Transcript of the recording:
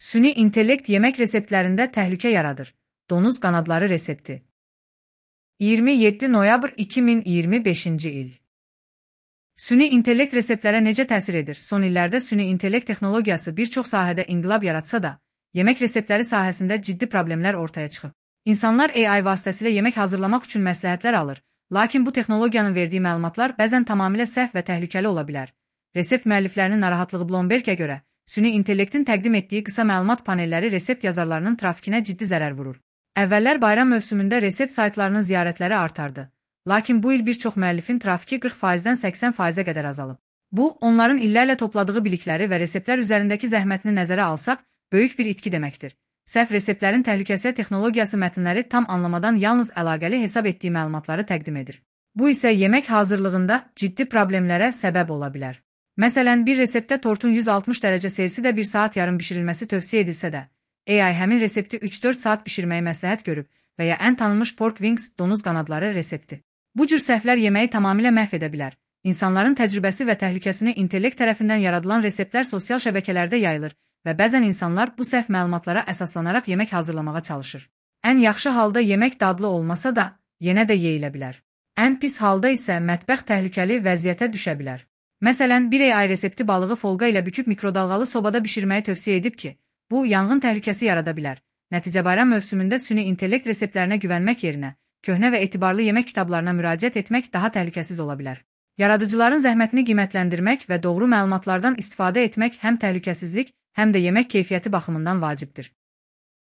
Süni intellekt yemək reseptlərində təhlükə yaradır. Donuz qanadları resepti. 27 noyabr 2025-ci il. Süni intellekt reseptlərə necə təsir edir? Son illərdə süni intellekt texnologiyası bir çox sahədə inqilab yaratsa da, yemək reseptləri sahəsində ciddi problemlər ortaya çıxıb. İnsanlar AI vasitəsilə yemək hazırlamaq üçün məsləhətlər alır, lakin bu texnologiyanın verdiyi məlumatlar bəzən tamamilə səhv və təhlükəli ola bilər. Resept müəlliflərinin narahatlığı Bloomberg-ə görə, süni intellektin təqdim etdiyi qısa məlumat panelləri resept yazarlarının trafikinə ciddi zərər vurur. Əvvəllər bayram mövsümündə resept saytlarının ziyarətləri artardı. Lakin bu il bir çox müəllifin trafiki 40%-dən 80%-ə qədər azalıb. Bu, onların illərlə topladığı bilikləri və reseptlər üzərindəki zəhmətini nəzərə alsaq, böyük bir itki deməkdir. Səhv reseptlərin təhlükəsi texnologiyası mətnləri tam anlamadan yalnız əlaqəli hesab etdiyi məlumatları təqdim edir. Bu isə yemək hazırlığında ciddi problemlərə səbəb ola bilər. Məsələn, bir reseptdə tortun 160 dərəcə Selsidə 1 saat yarım bişirilməsi tövsiyə edilsə də, AI həmin resepti 3-4 saat bişirməyi məsləhət görüb və ya ən tanınmış pork wings donuz qanadları resepti. Bu cür səhvlər yeməyi tamamilə məhv edə bilər. İnsanların təcrübəsi və təhlükəsini intellekt tərəfindən yaradılan reseptlər sosial şəbəkələrdə yayılır və bəzən insanlar bu səhv məlumatlara əsaslanaraq yemək hazırlamağa çalışır. Ən yaxşı halda yemək dadlı olmasa da, yenə də yeyilə bilər. Ən pis halda isə mətbəx təhlükəli vəziyyətə düşə bilər. Məsələn, bir AI resepti balığı folqa ilə büküb mikrodalğalı sobada bişirməyi tövsiyə edib ki, bu yanğın təhlükəsi yarada bilər. Nəticə bayram mövsümündə süni intellekt reseptlərinə güvənmək yerinə, köhnə və etibarlı yemək kitablarına müraciət etmək daha təhlükəsiz ola bilər. Yaradıcıların zəhmətini qiymətləndirmək və doğru məlumatlardan istifadə etmək həm təhlükəsizlik, həm də yemək keyfiyyəti baxımından vacibdir.